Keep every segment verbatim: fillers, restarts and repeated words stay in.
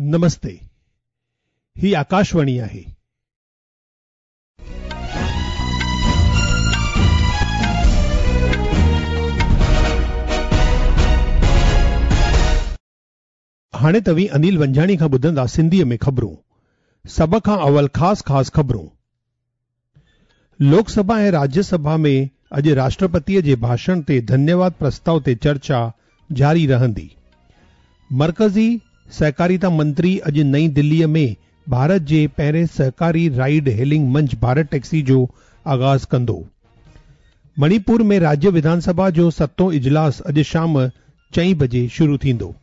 नमस्ते, ही आकाशवाणी आहे. हाणे तव्हीं अनिल वंजाणी खां ॿुधंदा सिंधीअ में ख़बरूं. सभ खां अवल ख़ासि ख़ासि ख़बरूं. लोकसभा ऐं राज्यसभा में अॼु राष्ट्रपतीअ जे भाषण ते धन्यवाद प्रस्ताव ते चर्चा जारी रहंदी. मर्कज़ी सहकारिता मंत्री अॼु नई दिल्लीअ में भारत जे पहिरें सहकारी राइड हेलिंग मंच भारत टैक्सी जो आगाज़ कंदो. मणिपुर में राज्य विधानसभा जो सतों इजलास अॼु शाम चईं बजे शुरू थींदो.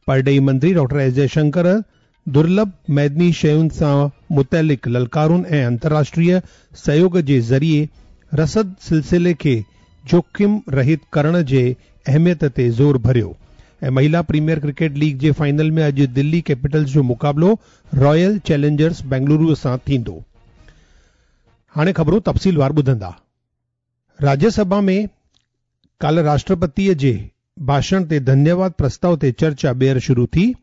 परॾेही मंत्री डॉक्टर एस जयशंकर दुर्लभ मैदनी शयुनि सां मुतअलिक़ ललकारुनि ऐं अंतर्राष्ट्रीय सहयोग जे ज़रिए रसद सिलसिले खे जोख़िम रहित करण जे अहमियत ते ज़ोर भरियो. ऐं महिला प्रीमियर क्रिकेट लीग जे फाइनल में अॼु दिल्ली कैपिटल्स जो मुक़ाबिलो रॉयल चैलेंजर्स बेंगलुरु सां थींदो. हाणे ख़बरूं तफ़सीलवार ॿुधंदा. राज्यसभा में काल्ह राष्ट्रपतीअ जे भाषण ते धन्यवाद प्रस्ताव ते चर्चा ॿीहर शुरू थी.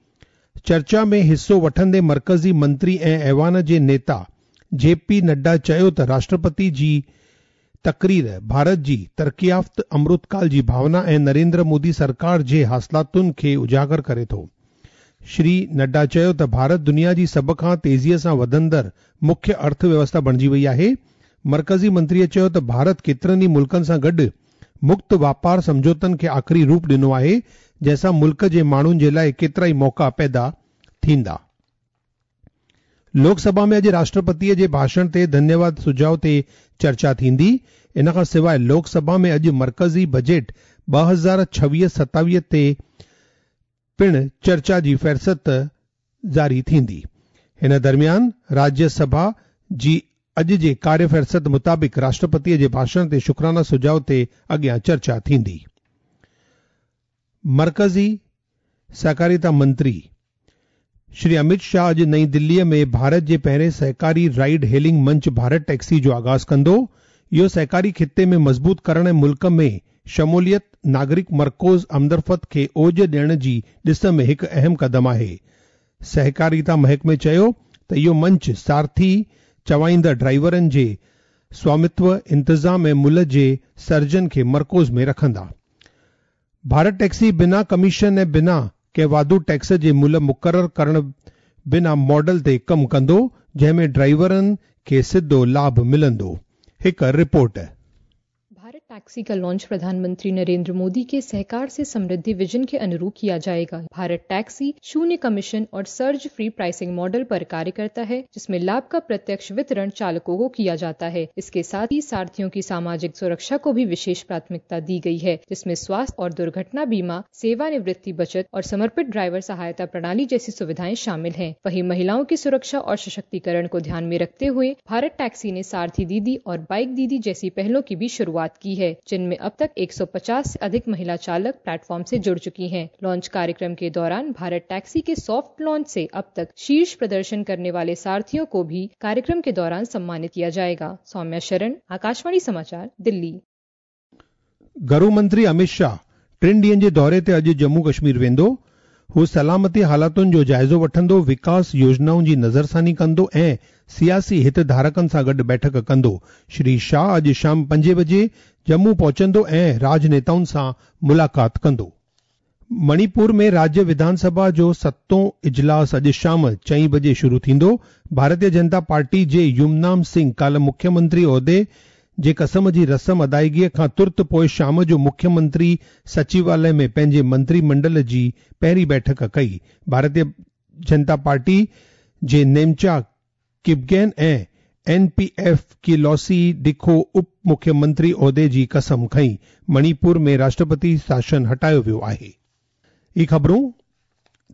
चर्चा में हिसो वठंदे मर्कज़ी मंत्री ऐं ऐवान जे नेता जे पी नड्डा चयो त राष्ट्रपति जी तकरीर भारत जी तरक़ियाफ़्त अमृतकाल जी भावना ऐं नरेंद्र मोदी सरकार जे हासिलातुनि खे उजागर करे थो. श्री नड्डा चयो त भारत दुनिया जी सभ खां तेज़ीअ सां वधंदड़ मुख्य अर्थव्यवस्था बणिजी वई आहे. मर्कज़ी मंत्रीअ चयो त भारत केतिरनि ई मुल्कनि सां गॾु मुक्त वापार सम्झौतनि खे आख़िरी रूप ॾिनो आहे, जंहिंसां मुल्क जे माण्हुनि जे लाइ केतिरा ई मौक़ा पैदा थींदा. लोकसभा में अॼु राष्ट्रपतीअ जे भाषण ते धन्यवाद सुझाव ते चर्चा थींदी. इन खां सवाइ लोकसभा में अॼु मर्कज़ी बजट ॿ हज़ार छवीह सतावीह ते पिणु चर्चा जी फ़हरिस्त जारी थींदी. हिन दरमियान राज्यसभा जी अॼु जे कार्य फ़हरिस्त मुताबिक़ राष्ट्रपतीअ जे भाषण ते शुक्राना सुझाव ते अॻियां चर्चा थींदी. मर्कज़ी सहकारिता मंत्री श्री अमित शाह अॼु नई दिल्लीअ में भारत जे पहिरें सहकारी राइड हेलिंग मंच भारत टैक्सी जो आगाज़ कंदो. इहो सहकारी ख़िते में मज़बूत करण ऐं मुल्क में शमूलियत नागरिक मर्कोज़ आमदरफ़्त खे ओज ॾियण जी ॾिस में हिकु अहम क़दम आहे. सहकारिता महकमे चयो त इहो मंच सारथी चवाईंदड़ ड्राइवरनि जे स्वामित्व, इंतज़ाम ऐं मुल्ह जे सर्जन खे मर्कोज़ में रखंदा. भारत टैक्सी बिना कमीशन ऐं बिना कंहिं वाधू टैक्स जे मुल्ह मुक़ररु करण बिना मॉडल ते कमु कंदो, जंहिं में ड्राइवरनि खे सिधो लाभ मिलंदो. हिकु रिपोर्ट. भारत टैक्सी का लॉन्च प्रधानमंत्री नरेंद्र मोदी के सहकार से समृद्धि विजन के अनुरूप किया जाएगा. भारत टैक्सी शून्य कमीशन और सर्ज फ्री प्राइसिंग मॉडल पर कार्य करता है, जिसमें लाभ का प्रत्यक्ष वितरण चालकों को किया जाता है. इसके साथ ही सारथियों की सामाजिक सुरक्षा को भी विशेष प्राथमिकता दी गई है, जिसमें स्वास्थ्य और दुर्घटना बीमा, सेवानिवृत्ति बचत और समर्पित ड्राइवर सहायता प्रणाली जैसी सुविधाएं शामिल है. वहीं महिलाओं की सुरक्षा और सशक्तिकरण को ध्यान में रखते हुए भारत टैक्सी ने सारथी दीदी और बाइक दीदी जैसी पहलों की भी शुरुआत की है, जिनमें अब तक एक सौ पचास से अधिक महिला चालक प्लेटफॉर्म से जुड़ चुकी हैं. लॉन्च कार्यक्रम के दौरान भारत टैक्सी के सॉफ्ट लॉन्च से अब तक शीर्ष प्रदर्शन करने वाले सारथियों को भी कार्यक्रम के दौरान सम्मानित किया जाएगा. सौम्या शरण, आकाशवाणी समाचार, दिल्ली. घरू मंत्री अमित शाह टिनि ॾींहनि जे दौरे ते अॼु जम्मू कश्मीर वेंदो. हू सलामती हालातुनि जो जाइज़ो वठंदो, विकास योजनाउनि जी नज़रसानी कंदो ऐं सियासी हितधारकनि सां गॾु बैठक कंदो. श्री शाह अॼु शाम पंजे बजे जम्मू पहुचंदो ऐं राजनेताउनि सां मुलाक़ात कंदो. मणिपुर में राज्य विधानसभा जो सतों इजलास अॼु शाम चईं बजे शुरू थींदो. भारतीय जनता पार्टी जे युमनाम सिंह काल्ह मुख्यमंत्री उहिदे जे कसम जी रस्म अदायगीअ खां तुर्त पोइ शाम जो मुख्यमंत्री सचिवालय में पंहिंजे मंत्रीमंडल जी पहिरीं बैठक कई. भारतीय जनता पार्टी जे नेमचा किपगेन ऐं एन पी एफ की लॉसी डिखो उप मुख्यमंत्री उहिदे जी कसम खई. मणिपुर में राष्ट्रपति शासन हटायो वियो आहे. ही ख़बरूं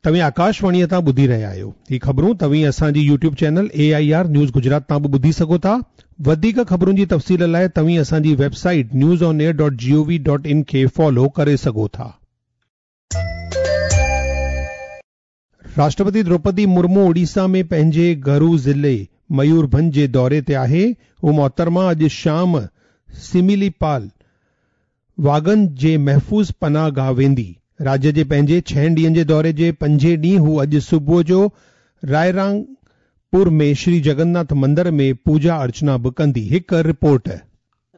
तव्हीं आकाशवाणीअ तां ॿुधी रहिया आहियो. ही ख़बरूं तव्हीं असांजी YouTube channel A I R news Gujarat तां बि ॿुधी सघो था. वधीक ख़बरुनि जी तफ़सील लाइ तव्हीं असांजी website news on air dot G O V dot in खे फॉलो करे सघो था. राष्ट्रपति द्रौपदी मुर्मू ओडिशा में पंहिंजे घरू ज़िले मयूरभंज जे दौरे ते आहे. हू मोहतरमा अॼु शाम सिमिलीपाल वाघनि जे महफ़ूज़ पनाहगाह वेंदी. राज्य जे पंहिंजे छहनि ॾींहनि जे दौरे जे पंजे ॾींहुं हू अॼु सुबुह जो रायरंगपुर में श्री जगन्नाथ मंदिर में पूजा अर्चना बि कंदी। हिकु रिपोर्ट।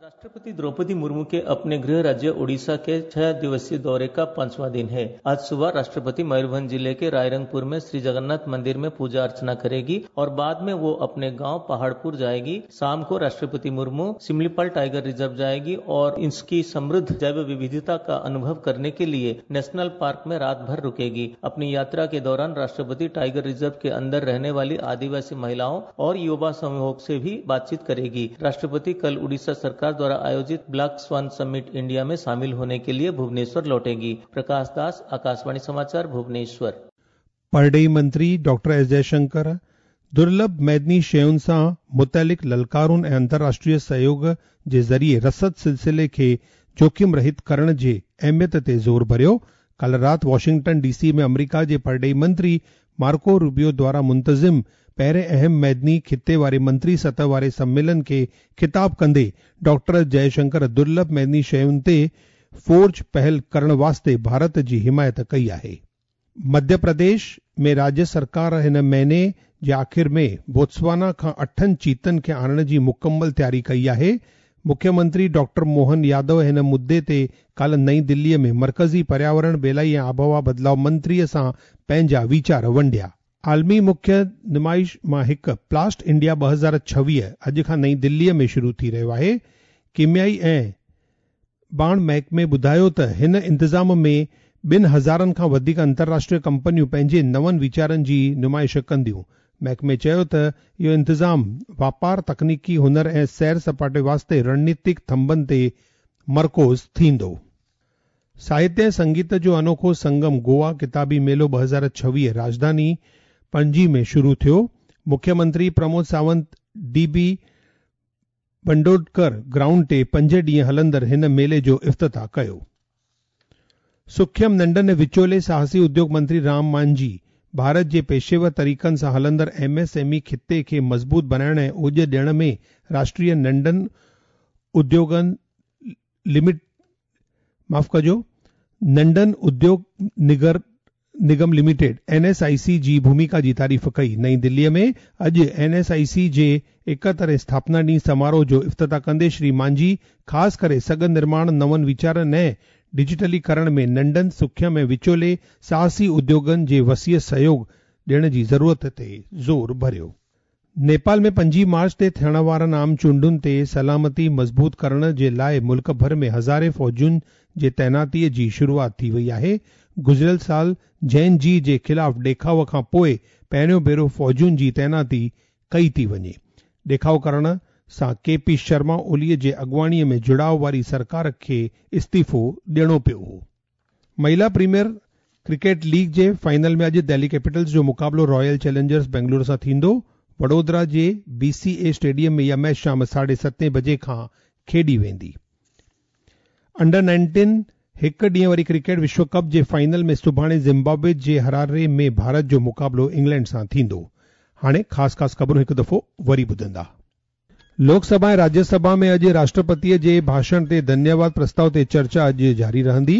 राष्ट्रपति द्रौपदी मुर्मू के अपने गृह राज्य ओडिशा के छह दिवसीय दौरे का पांचवा दिन है। आज सुबह राष्ट्रपति मयूरभंज जिले के रायरंगपुर में श्री जगन्नाथ मंदिर में पूजा अर्चना करेगी और बाद में वो अपने गांव पहाड़पुर जाएगी। शाम को राष्ट्रपति मुर्मू सिमलीपाल टाइगर रिजर्व जाएगी और इसकी समृद्ध जैव विविधता का अनुभव करने के लिए नेशनल पार्क में रात भर रुकेगी। अपनी यात्रा के दौरान राष्ट्रपति टाइगर रिजर्व के अंदर रहने वाली आदिवासी महिलाओं और युवा समूहों से भी बातचीत करेगी। राष्ट्रपति कल उड़ीसा सरकार द्वारा आयोजित ब्लैक स्वान समिट इंडिया में शामिल होने के लिए भुवनेश्वर लौटेगी। प्रकाश दास, आकाशवाणी समाचार, भुवनेश्वर। परॾेही मंत्री डॉक्टर एस जयशंकर दुर्लभ मैदनी शयुनि सां मुतअलिक़ ललकारुनि ऐं अंतर्राष्ट्रीय सहयोग जे ज़रिए रसद सिलसिले खे जोख़िम रहित करण जे अहमियत ते ज़ोर भरियो। काल्ह राति वॉशिंगटन डीसी में अमरीका जे परॾेही मंत्री मार्को रूबियो द्वारा मुंतज़िम पहिरें अहम मैदनी खिते वारे मंत्री सतह वारे सम्मेलन खे ख़िताब कंदे डॉक्टर जयशंकर दुर्लभ मैदनी शयुनि ते फोर्ज पहल करण वास्ते भारत जी हिमायत कई आहे। मध्य प्रदेश में राज्य सरकार हिन महीने जे आख़िर में बोत्सवाना खां अठनि चीतनि खे आणण जी मुकमल तयारी कई आहे। मुख्यमंत्री डॉक्टर मोहन यादव हिन मुद्दे ते काल्ह नई दिल्लीअ में मरकज़ी पर्यावरण, बेलाई ऐं आबहवा बदिलाव मंत्रीअ सां पंहिंजा वीचार वंडिया। आलमी मुख्य नुमाइश मां हिकु प्लास्ट इंडिया ॿ हज़ार छवीह अॼु खां नई दिल्लीअ में शुरू थी रहियो आहे। कीमियाई ऐं बाण महकमे ॿुधायो त हिन इंतज़ाम में ॿिनि हज़ारनि खां वधीक अंतर्राष्ट्रीय कंपनियूं पंहिंजे नवनि वीचारनि जी नुमाइश कंदियूं। महकमे चयो त इहो इंतज़ाम वापार, तकनीकी हुनर ऐं सैर सपाटे वास्ते रणनीतिक थंबनि ते मरकूज़ थींदो। साहित्य ऐं संगीत जो अनोखो संगम गोवा किताबी मेलो ॿ हज़ार छवीह राजधानी पणजी में शुरू थियो। मुख्यमंत्री Pramod Sawant D B Bandodkar ground ते पंज ॾींहं हलंदड़ हिन मेले जो इफ्तिताह कयो। सुख्यम नंढनि ऐं विचोले साहसी उद्योग मंत्री राम मांझी भारत जे पेशेवर तरीक़नि सां हलंदड़ एम एस एम ई खिते खे मज़बूत बणाइण ऐं ओॼ ॾियण में राष्ट्रीय नंढनि उद्योगनि लिमिट माफ़ कजो नंढनि उद्योग निगर Nigam limited N S I C जी भूमिका जी तारीफ़ कई। नई दिल्लीअ में अॼु एन एस I सी जे एकहतरें स्थापना ॾींहुं समारोह जो इफ्तिताह कंदे श्री मांझी ख़ासि करे सघ निर्माण, नवनि वीचारनि ऐं डिजिटलीकरण में नंढनि, सुख्यम ऐं विचोले साहसी उद्योगनि जे वसीअ सहयोग ॾियण जी ज़रूरत ते ज़ोर भरियो। नेपाल में पंजी मार्च ते थियण वारनि आम चूंडुनि ते सलामती मज़बूत करण जे लाइ मुल्क भर में हज़ारे फ़ौजुनि जे तैनातीअ जी शुरूआत थी वई आहे। गुज़िरियल साल जैन जी जे ख़िलाफ़ ॾेखाव खां पोइ पहिरियों भेरो फ़ौजुनि जी तैनाती कई थी वञे। ॾेखाव करण सां के पी शर्मा ओलीअ जे अॻुवाणीअ में जुड़ाव वारी सरकार खे इस्तीफ़ो ॾियणो पियो हो। महिला प्रीमियर क्रिकेट लीग जे फाइनल में अॼु दिल्ली कैपिटल्स जो मुक़ाबिलो रॉयल चैलेंजर्स बेंगलुरु सां थींदो। वडोदरा जे बी सी ए स्टेडियम में इहा मैच शाम साढे सतें बजे खां खेॾी वेंदी। अंडर नाइनटीन हिकु ॾींहं वारी क्रिकेट विश्व कप जे फाइनल में सुभाणे ज़िम्बाब्वे जे हरारे में भारत जो मुक़ाबिलो इंग्लैंड सां थींदो। हाणे ख़ासि ख़ासि ख़बरूं हिकु दफ़ो वरी ॿुधंदा। लोकसभा ऐं राज्यसभा में अॼु राष्ट्रपतीअ जे भाषण ते धन्यवाद प्रस्ताव ते चर्चा अॼु जारी रहंदी।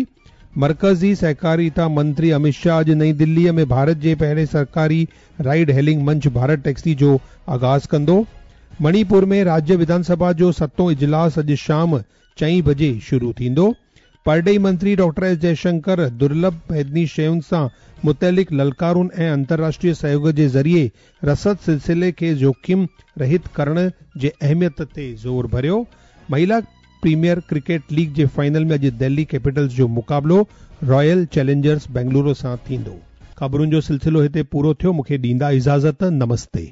मरकज़ी सहकारिता मंत्री अमित शाह अॼु नई दिल्लीअ में भारत जे पहिरें सरकारी राइड हेलिंग मंच भारत टैक्सी जो आगाज़ कंदो। मणिपुर में राज्य विधानसभा जो सतों इजलास अॼु शाम चईं बजे शुरू थींदो। परॾेही मंत्री डॉक्टर एस जयशंकर दुर्लभ मैदनी शयुनि सां मुतअलिक़ ललकारुनि ऐं अंतर्राष्ट्रीय सहयोग जे ज़रिए रसद सिलसिले खे जोख़िम रहित करण जे अहमियत ते ज़ोर भरियो। महिला प्रीमियर क्रिकेट लीग जे फाइनल में अॼु दिल्ली कैपिटल्स जो मुक़ाबिलो रॉयल चैलेंजर्स बेंगलुरु सां थींदो। ख़बरुनि जो सिलसिलो हिते पूरो थियो। मूंखे ॾींदा इजाज़त। नमस्ते।